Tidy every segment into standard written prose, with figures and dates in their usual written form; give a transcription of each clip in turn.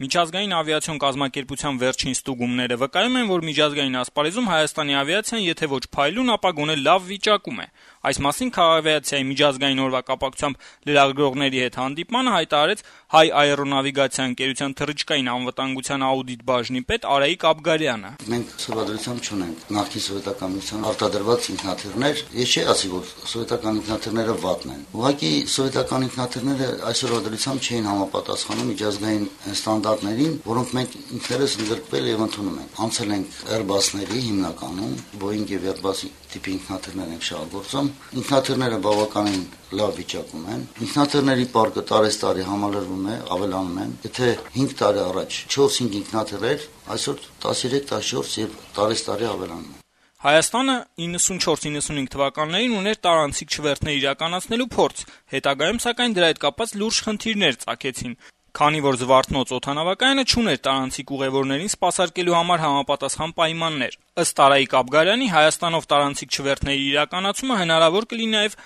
Միջազգային ավիացիոն կազմակերպության վերջին ստուգումները վկայում են, որ միջազգային ասպարեզում Հայաստանի ավիացիան եթե ոչ փայլուն, ապա գոնե լավ վիճակում է։ Այս մասին Քաղաքավիացիայի միջազգային օրվա կապակցությամբ լրագրողների հետ հանդիպմանը հայտարարեց Հայ աերոնավիգացիա ընկերության թռիչքային անվտանգության աուդիտ բաժնի պետ Արայիկ Աբգարյանը։ Մենք սովորությամբ չունենք նախկին սովետական միության արտադրված ինքնաթիռներ, ես չի ասի, որ սովետական ինքնաթիռները վատն են։ Ուղղակի սովետական ինքնաթիռները այսօր ադրությամբ չէին համապատասխանում միջազգային ստանդարտներին, որոնք մենք ինքներս ընդգրկվել եւ ընդունում ենք։ Անցել ենք Airbus-ների հիմնականում, Boeing եւ Airbus տիպի ինքնաթիռներ ենք շահագործում։ Ինքնաթիռները բավականին լավ վիճակում են։ Ինքնաթիռների պարկը տարեստարի համալրվում է, ավելանում են։ Եթե 5 տարի առաջ 4-5 ինքնաթիռեր, այսօր 13-14 եւ տարեստարի ավելանում է։ Հայաստանը 94-95 թվականներին ուներ տարանցիկ չվերթներ իրականացնելու փորձ, հետագայում սակայն դրա հետ կապված լուրջ խնդիրներ ծագեցին, քանի որ Զվարթնոց օդանավակայանը չուներ տարանցիկ ուղևորներին սպասարկելու համար համապատասխան պայմաններ։ Ըստ Արայիկ Աբգարյանի, Հայաստանով տարանցիկ չվերթների իրականացումը հնարավոր կլինի նաև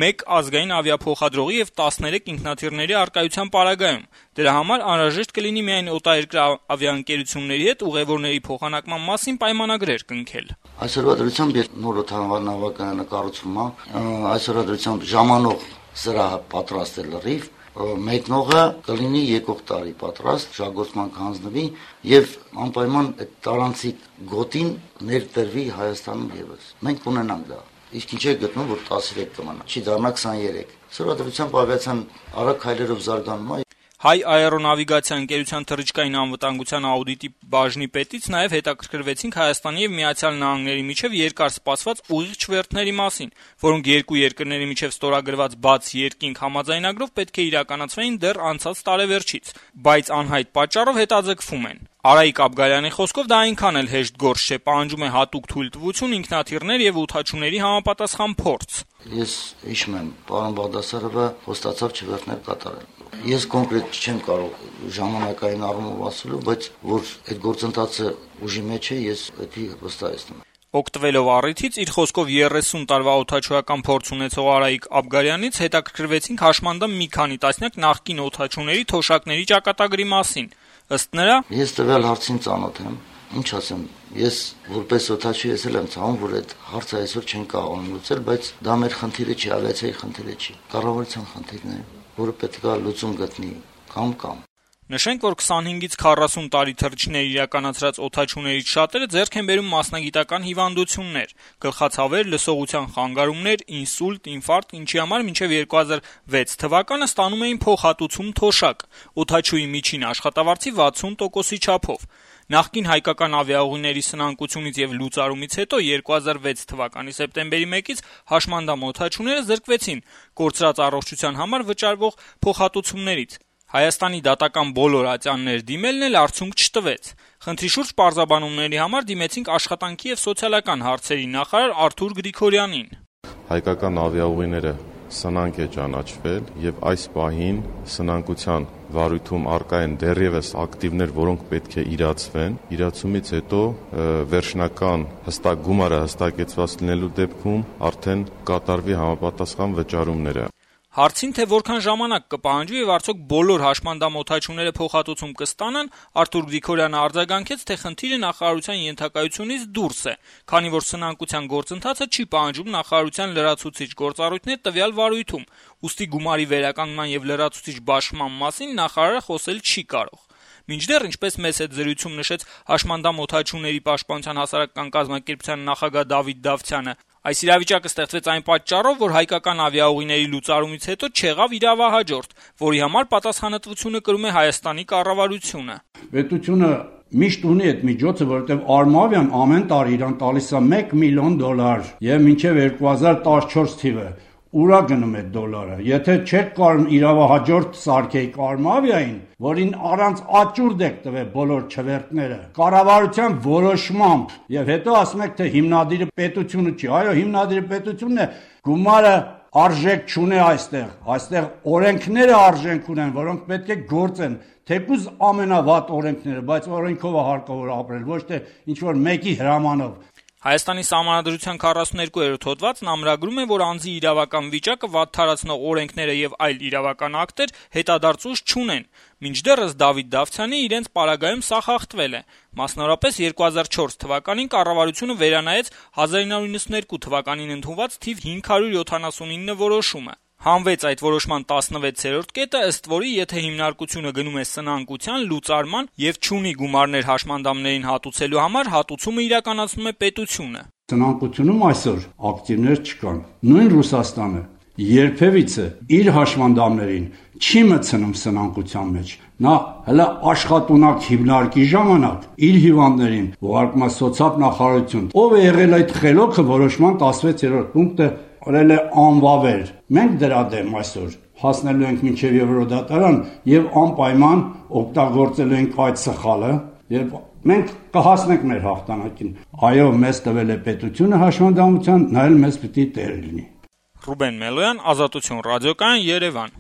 1 ազգային ավիափոխադրողի եւ 13 ինքնաթիռների առկայության պարագայում։ Դրա համար անհրաժեշտ կլինի միայն օտարերկրյա ավիաընկերությունների հետ ուղևորների փոխանակման մասին պայմանագրեր կնքել։ Այսօրվա դրությամբ նոր օդանավակայանը կառուցվում է, այսօրվա դրությամբ ժամանող սրահը պատրաստ է լրիվ, մեկնողը կլինի եկող տարի պատրաստ, շահգործման կհանձնվի եւ անպայման այդ տարանցիկ գոտին ներդրվի Հայաստանում եւս։ Մենք ունենանք դա։ Իսկ ինչ է գտնում, որ 13 կմնա, չի դառնա 23։ Սովորությամբ ավիացիան արագ քայլերով զարգանում է։ Հայ աերոնավիգացիա ընկերության թռիչքային անվտանգության աուդիտի բաժնի պետից նաև հետաքրքրվեցինք Հայաստանի եւ Միացյալ Նահանգների միջև երկար սպասված ուղիղ չվերթների մասին, որոնք երկու երկրների միջև ստորագրված բաց երկինք համաձայնագրով պետք է իրականացվեին դեռ անցած տարեվերջից, բայց անհայտ պատճառով հետաձգվում են։ Արայիկ Աբգարյանի խոսքով դա այնքան էլ հեշտ գործ չէ, պահանջում է հատուկ թույլտվություն, ինքնաթիռներ եւ ութաչուների համապատասխան փորձ։ Ես հիշում եմ, պարոն Բաղդասարովը խոստացավ չվերթներ կատարել։ Ես կոնկրետ չեմ կարող ժամանակային առումով ասելու, բայց որ այդ գործընթացը ուժի մեջ է, ես դա վստահեցնում եմ։ Օգտվելով առիթից, իր խոսքով 30 տարվա օդաչուական փորձ ունեցող Արայիկ Աբգարյանից հետաքրքրվեցինք հաշմանդամ մի քանի տասնյակ նախկին օդաչուների թոշակների ճակատագրի մասին։ Ըստ նրա, ես տվյալ հարցին ծանոթ եմ, ինչ ասեմ, ես որպես օդաչու ես էլ եմ ցավում, որ այդ հարցը այսօր չեն կարող լուծել, բայց դա մեր խնդիրը չի, ավիացիայի խնդիրը չի, կառավարության խնդիրն է, որը պետք է լուծում գտնի կամ։ Նշենք, որ 25-ից 40 տարի թռիչքներ իրականացրած օդաչուներից շատերը ձեռք են բերում մասնագիտական հիվանդություններ, գլխացավեր, լսողության խանգարումներ, ինսուլտ, ինֆարկտ, ինչի համար մինչև 2006 թվականը ստանում էին փոխհատուցում թոշակ, օդաչուի միջին աշխատավարձի 60%-ի չափով։ Նախկին հայկական ավիաուղիների սնանկությունից եւ լուծարումից հետո 2006 թվականի սեպտեմբերի 1-ից հաշմանդամ օդաչուները զրկվեցին կորցրած առողջության համար վճարվող փոխհատուցումներից։ Հայաստանի դատական բոլոր ատյաններ դիմելն էլ արդյունք չտվեց։ Խնդրի շուրջ պարզաբանումների համար դիմեցինք աշխատանքի եւ սոցիալական հարցերի նախարար Արթուր Գրիգորյանին։ Հայկական ավիաուղիները սնանկ է ճանաչվել եւ այս պահին սնանկության վարույթում առկա են դեռևս ակտիվներ, որոնք պետք է իրացվեն։ Իրացումից հետո վերջնական հստակ գումարը հստակեցված լինելու դեպքում արդեն կատարվի համապատասխան վճարումները։ Հարցին, թե որքան ժամանակ կպահանջի եւ արդյոք բոլոր հաշմանդամ օդաչուները փոխհատուցում կստանան, Արթուր Գրիգորյանը արձագանքեց, թե խնդիրը նախարարության ենթակայությունից դուրս է, քանի որ սնանկության գործընթացը չի պահանջում նախարարության լրացուցիչ գործառույթներ տվյալ վարույթում, ուստի գումարի վերականգնման եւ լրացուցիչ բաշխման մասին նախարարը խոսել չի կարող։ Մինչդեռ, ինչպես մեծ հետ զրույցում նշեց հաշմանդամ օդաչուների պաշտպանության հասարակական կազմակերպության նախագահ Դավիթ Դավթյանը, այս իրավիճակը ստեղծվեց այն պատճառով, որ հայկական ավիաուղիների լուծարումից հետո չեղավ իրավահաջորդ, որի համար պատասխանատվությունը կրում է Հայաստանի կառավարությունը։ Պետությունը միշտ ունի այդ միջոցը, որովհետև Արմավիան ամեն տարի իրան տալիս է $1 միլիոն եւ մինչև 2014 թիվը ուրա գնում է դոլարը։ Եթե չեք կարող իրավահաջորդ սարքեիք Արմավիային, որին առանց աճուրդ եք տվել բոլոր չվերթները, կառավարության որոշմամբ, եւ հետո ասում եք, թե հիմնադիրը պետությունը չի, այո, հիմնադիրը պետությունն է, գումարը արժեք չունի այստեղ օրենքները արժենք ունեն, որոնք պետք է գործեն, թեկուզ ամենավատ օրենքները, բայց օրենքով է հարկավոր ապրել, ոչ թե ինչ որ մեկի հրամանով։ Հայաստանի Սահմանադրության 42-րդ հոդվածն ամրագրում է, որ անձի իրավական վիճակը վատթարացնող օրենքները եւ այլ իրավական ակտեր հետադարձ ուժ չունեն։ Մինչդեռս Դավիթ Դավթյանի իրենց պարագայում սա խախտվել է։ Մասնավորապես 2004 թվականին կառավարությունը վերանայեց 1992 թվականին ընդունված թիվ 579 որոշումը։ Հանվեց այդ որոշման 16-րդ կետը, ըստ որի եթե հիմնարկությունը գնում է սնանկության, լուծարման եւ չունի գումարներ հաշմանդամներին հատուցելու համար, հատուցումը իրականացնում է պետությունը։ Սնանկությունում այսօր ակտիվներ չկան։ Նույն Ռուսաստանը երբևիցե իր հաշմանդամներին չի մտցնում սնանկության մեջ։ Նա հələ աշխատունակ հիմնարկի ժամանակ իր հիվանդներին ուղարկում է սոցիալ-նախարարություն։ Ով է եղել այդ խելոքը որոշման 16-րդ պունկտը օրել է անվավեր։ Մենք դրա դեմ այսօր հասնելու ենք մինչև Եվրոդատարան եւ անպայման օգտագործելու ենք այդ սխալը եւ մենք կհասնենք մեր հաղթանակին։ Այո, մեզ տվել է պետությունը հաշմանդամության, նա էլ մեզ պիտի տեր լինի։ Ռուբեն Մելոյան, Ազատություն ռադիոկայան, Երևան։